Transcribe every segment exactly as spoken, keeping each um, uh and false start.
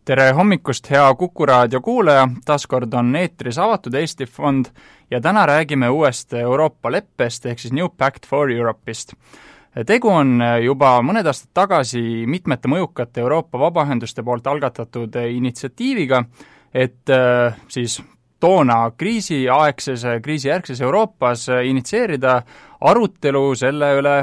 tere hommikust, hea Kuku raadio kuulaja, taaskord on eetris Avatud Eesti Fond ja täna räägime uuest Euroopa leppest ehk siis New Pact for Europe'ist. Tegu on juba mõned aastad tagasi mitmete mõjukate Euroopa vabaühenduste poolt algatatud initsiatiiviga, et siis toona kriisiaegses, kriisijärgses Euroopas initsieerida arutelu selle üle,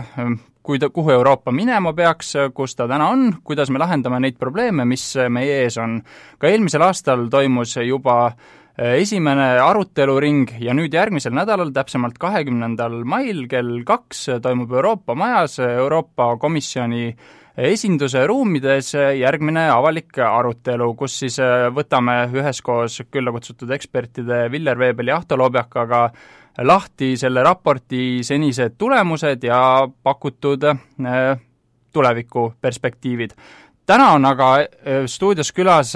kui ta, kuhu Euroopa minema peaks, kus ta täna on, kuidas me lahendame neid probleeme, mis meie ees on. Ka eelmisel aastal toimus juba esimene aruteluring ja nüüd järgmisel nädalal, täpsemalt kahekümnendal mail kell kaks toimub Euroopa Majas Euroopa Komisjoni esinduse ruumides järgmine avalik arutelu, kus siis võtame üheskoos külla kutsutud ekspertide Viljar Veebel ja Ahto Lobjakaga lahti selle raporti senised tulemused ja pakutud tulevikuperspektiivid. Täna on aga stuudios külas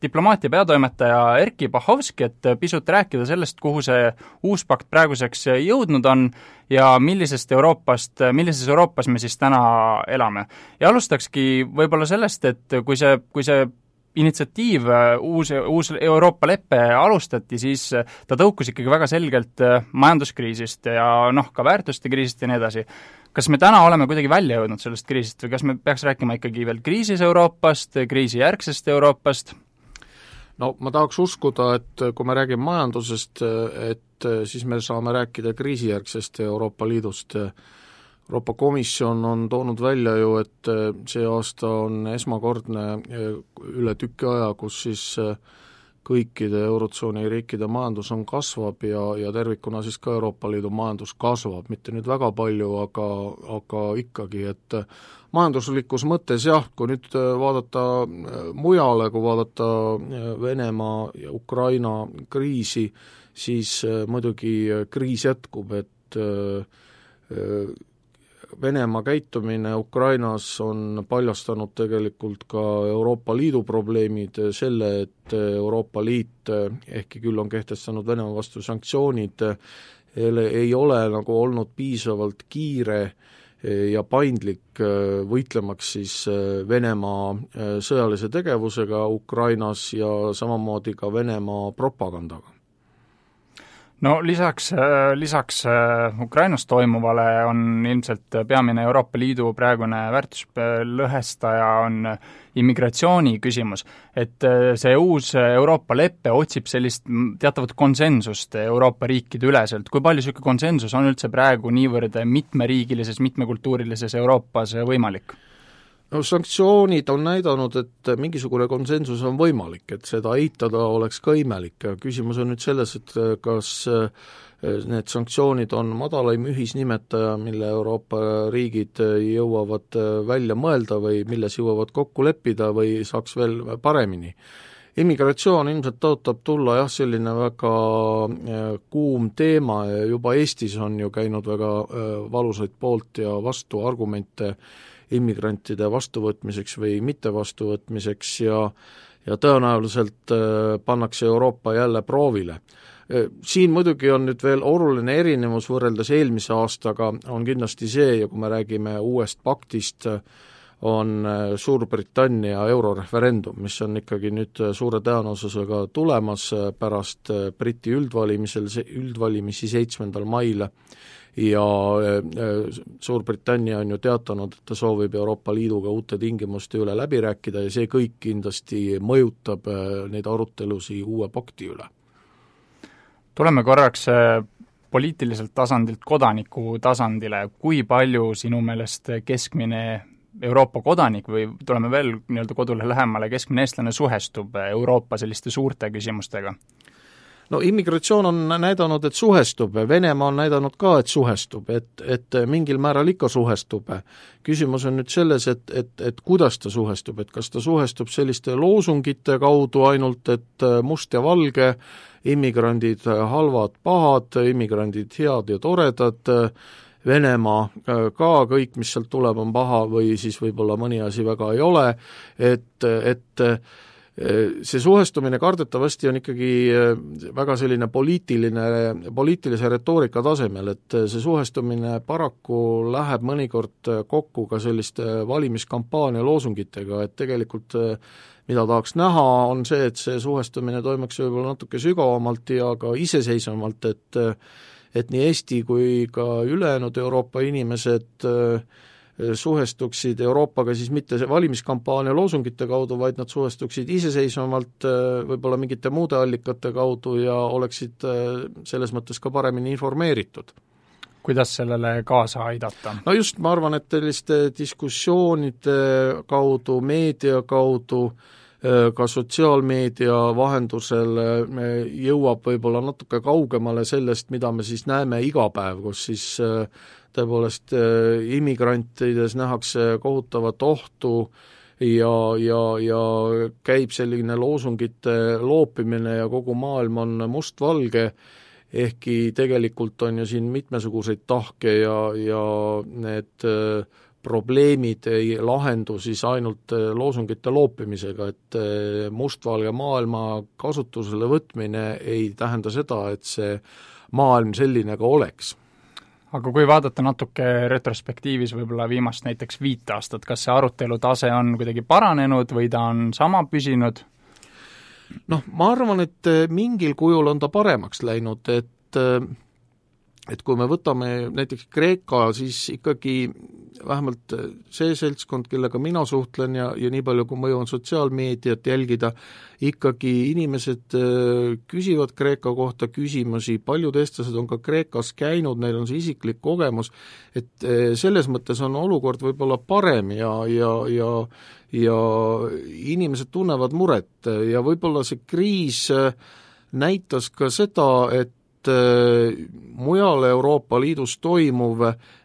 diplomaatia peatoimetaja Erkki Bahovski, et pisut rääkida sellest, kuhu see uus pakt praeguseks jõudnud on ja millisest Euroopast, millises Euroopas me siis täna elame. Ja alustakski võib-olla sellest, et kui see, kui see initsiatiiv, uus, uus Euroopa leppe alustati, siis ta tõukus ikkagi väga selgelt majanduskriisist ja noh, ka väärtuste kriisist ja nii edasi. Kas me täna oleme kuidagi välja jõudnud sellest kriisist või kas me peaks rääkima ikkagi veel kriisis Euroopast, kriisijärgsest Euroopast? No ma tahaks uskuda, et kui me räägime majandusest, et siis me saame rääkida kriisijärgsest Euroopa Liidust. Euroopa Komisjon on toonud välja ju, et see aasta on esmakordne üle tüki aja, kus siis kõikide Eurotsooni riikide majandus on kasvab ja, ja tervikuna siis ka Euroopa Liidu majandus kasvab, mitte nüüd väga palju, aga, aga ikkagi, et majanduslikus mõttes jah, kui nüüd vaadata mujale, kui vaadata Venemaa ja Ukraina kriisi, siis muidugi kriis jätkub, et Venemaa käitumine Ukrainas on paljastanud tegelikult ka Euroopa Liidu probleemid, selle, et Euroopa Liit, ehkki küll on kehtestanud Venemaa vastu sanktsioonid, ei ole nagu olnud piisavalt kiire ja paindlik võitlemaks siis Venemaa sõjalise tegevusega Ukrainas ja samamoodi ka Venemaa propagandaga. No lisaks, lisaks Ukrainas toimuvale on ilmselt peamine Euroopa Liidu praegune väärtuslõhestaja on immigratsiooni küsimus, et see uus Euroopa leppe otsib sellist teatavat konsensust Euroopa riikide üleselt. Kui palju selline konsensus on üldse praegu niivõrd mitmeriigilises, mitmekultuurilises Euroopas võimalik? No sanktsioonid on näidanud, et mingisugune konsensus on võimalik, et seda eitada oleks ka imelik ja küsimus on nüüd selles, et kas need sanktsioonid on madalaim ühisnimetaja, mille Euroopa riigid jõuavad välja mõelda või milles jõuavad kokku leppida või saaks veel paremini. Immigratsioon ilmselt tõotab tulla jah, selline väga kuum teema ja juba Eestis on ju käinud väga valusaid poolt ja vastu argumente immigrantide vastuvõtmiseks või mitte vastuvõtmiseks ja, ja tõenäoliselt pannakse Euroopa jälle proovile. Siin muidugi on nüüd veel oluline erinevus võrreldes eelmise aastaga, on kindlasti see, ja kui me räägime uuest paktist, on Suurbritannia euroreferendum, mis on ikkagi nüüd suure tõenäosusega tulemas pärast Briti üldvalimisel, üldvalimisi seitsmendal mail ja Suurbritannia on ju teatanud, et ta soovib Euroopa Liiduga uute tingimuste üle läbi rääkida ja see kõik kindlasti mõjutab neid arutelusi uue pakti üle. Tuleme korraks poliitiliselt tasandilt kodaniku tasandile. Kui palju sinu meelest keskmine Euroopa kodanik või tuleme veel nii-öelda kodule lähemale, keskmine eestlane suhestub Euroopa selliste suurte küsimustega? No immigratsioon on näidanud, et suhestub, Venemaa on näidanud ka, et suhestub, et, et mingil määral ikka suhestub. Küsimus on nüüd selles, et, et, et kuidas ta suhestub, et kas ta suhestub selliste loosungite kaudu ainult, et must ja valge, immigrandid halvad, pahad, immigrandid head ja toredad, Venemaa ka kõik, mis sealt tuleb, on paha või siis võib-olla mõni asi väga ei ole, et, et see suhestumine kardetavasti on ikkagi väga selline poliitiline, poliitilise retoorika tasemel, et see suhestumine paraku läheb mõnikord kokku ka selliste valimiskampaania loosungitega, et tegelikult mida tahaks näha, on see, et see suhestumine toimuks võib-olla natuke sügavamalt ja ka iseseisvamalt, et et nii Eesti kui ka ülejäänud Euroopa inimesed suhestuksid Euroopaga siis mitte valimiskampaania loosungite kaudu, vaid nad suhestuksid iseseisvamalt võib-olla mingite muude allikate kaudu ja oleksid selles mõttes ka paremini informeeritud. Kuidas sellele kaasa aidata? No just, ma arvan, et selliste diskussioonide kaudu, meedia kaudu, ka sotsiaalmeedia vahendusel jõuab võib-olla natuke kaugemale sellest, mida me siis näeme iga päev, kus siis tõepoolest immigrantides nähakse kohutavat ohtu ja, ja, ja käib selline loosungite loopimine ja kogu maailm on mustvalge, ehkki tegelikult on ju siin mitmesuguseid tahke ja, ja need probleemid ei lahendu siis ainult loosungite loopimisega, et mustvalge maailma kasutusele võtmine ei tähenda seda, et see maailm selline ka oleks. Aga kui vaadata natuke retrospektiivis võib-olla viimast näiteks viit aastat, kas see arutelu tase on kuidagi paranenud või ta on sama püsinud? Noh, ma arvan, et mingil kujul on ta paremaks läinud, et et kui me võtame näiteks Kreeka, siis ikkagi vähemalt see seltskond, kellega mina suhtlen ja, ja nii palju, kui ma jõuan sotsiaalmeediat jälgida, ikkagi inimesed küsivad Kreeka kohta küsimusi, paljud eestlased on ka Kreekas käinud, neil on see isiklik kogemus, et selles mõttes on olukord võib-olla parem ja, ja, ja, ja inimesed tunnevad muret ja võib-olla see kriis näitas ka seda, et mujal Euroopa Liidus toimuv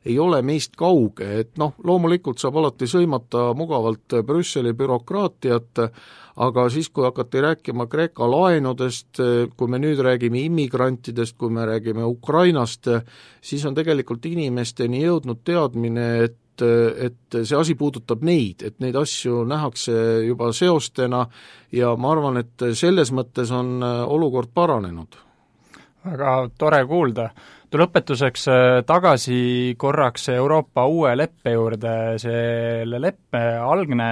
ei ole meist kauge, et noh, loomulikult saab alati sõimata mugavalt Brüsseli bürokraatiat, aga siis, kui hakati rääkima Kreeka laenudest, kui me nüüd räägime immigrantidest, kui me räägime Ukrainast, siis on tegelikult inimesteni jõudnud teadmine, et et see asi puudutab neid, et neid asju nähakse juba seostena ja ma arvan, et selles mõttes on olukord paranenud. Väga tore kuulda. Lõpetuseks tagasi korraks Euroopa uue leppe juurde, selle leppe algne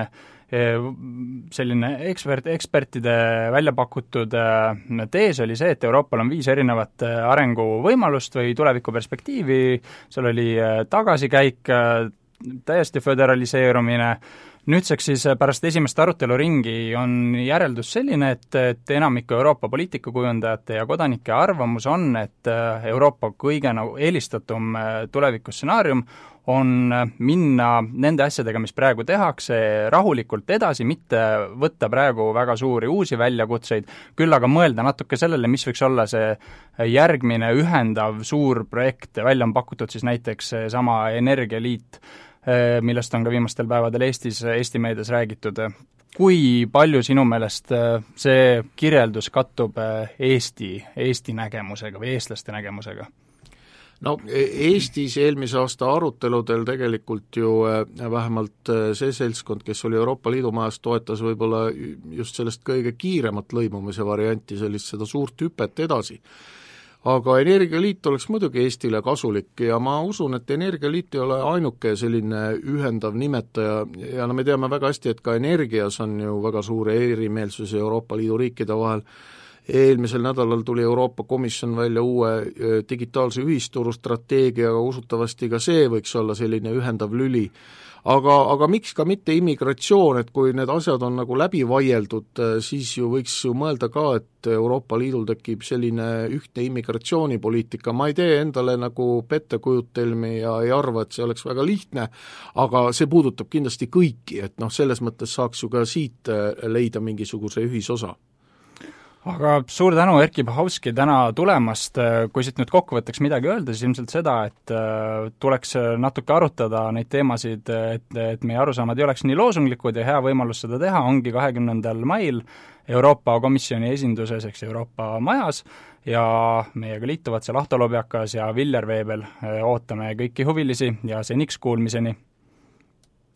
selline ekspert, ekspertide välja pakutud tees oli see, et Euroopal on viis erinevat arenguvõimalust või tulevikuperspektiivi, seal oli tagasikäik, täiesti föderaliseerumine. Nüüdseks siis pärast esimest aruteluringi on järeldus selline, et, et enamiku Euroopa poliitikakujundajate ja kodanike arvamus on, et Euroopa kõige nagu eelistatum tulevikustsenaarium on minna nende asjadega, mis praegu tehakse, rahulikult edasi, mitte võtta praegu väga suuri uusi väljakutseid, küll aga mõelda natuke sellele, mis võiks olla see järgmine ühendav suur projekt, välja on pakutud siis näiteks sama Energialiit, millest on ka viimastel päevadel Eestis, Eesti meedias räägitud. Kui palju sinu meelest see kirjeldus kattub Eesti, Eesti nägemusega või eestlaste nägemusega? No Eestis eelmise aasta aruteludel tegelikult ju vähemalt see seltskond, kes oli Euroopa Liidu majas, toetas võib-olla just sellest kõige kiiremat lõimumise varianti, sellist seda suurt hüpet edasi. Aga Energialiit oleks muidugi Eestile kasulik ja ma usun, et Energialiit ei ole ainuke selline ühendav nimetaja ja no me teame väga hästi, et ka energias on ju väga suure erimeelsusi Euroopa Liidu riikide vahel. Eelmisel nädalal tuli Euroopa Komisjon välja uue digitaalse ühisturu strateegiaga, usutavasti ka see võiks olla selline ühendav lüli. Aga, aga miks ka mitte immigratsioon, et kui need asjad on nagu läbi vaieldud, siis ju võiks ju mõelda ka, et Euroopa Liidul tekib selline ühtne immigratsioonipoliitika. Ma ei tee endale nagu pettekujutelmi ja ei arva, et see oleks väga lihtne, aga see puudutab kindlasti kõiki, et noh, selles mõttes saaks ju ka siit leida mingisuguse ühisosa. Aga suur tänu, Erkki Bahovski, täna tulemast. Kui siit nüüd kokkuvõtteks midagi öelda, siis ilmselt seda, et tuleks natuke arutada neid teemasid, et, et meie arusaamad ei oleks nii loosunglikud ja hea võimalus seda teha ongi kahekümnendal mail Euroopa Komisjoni esinduses, eks Euroopa majas, ja meiega liituvad seal Ahto Lobjakas ja Viljar Veebel. Ootame kõiki huvilisi ja seniks kuulmiseni!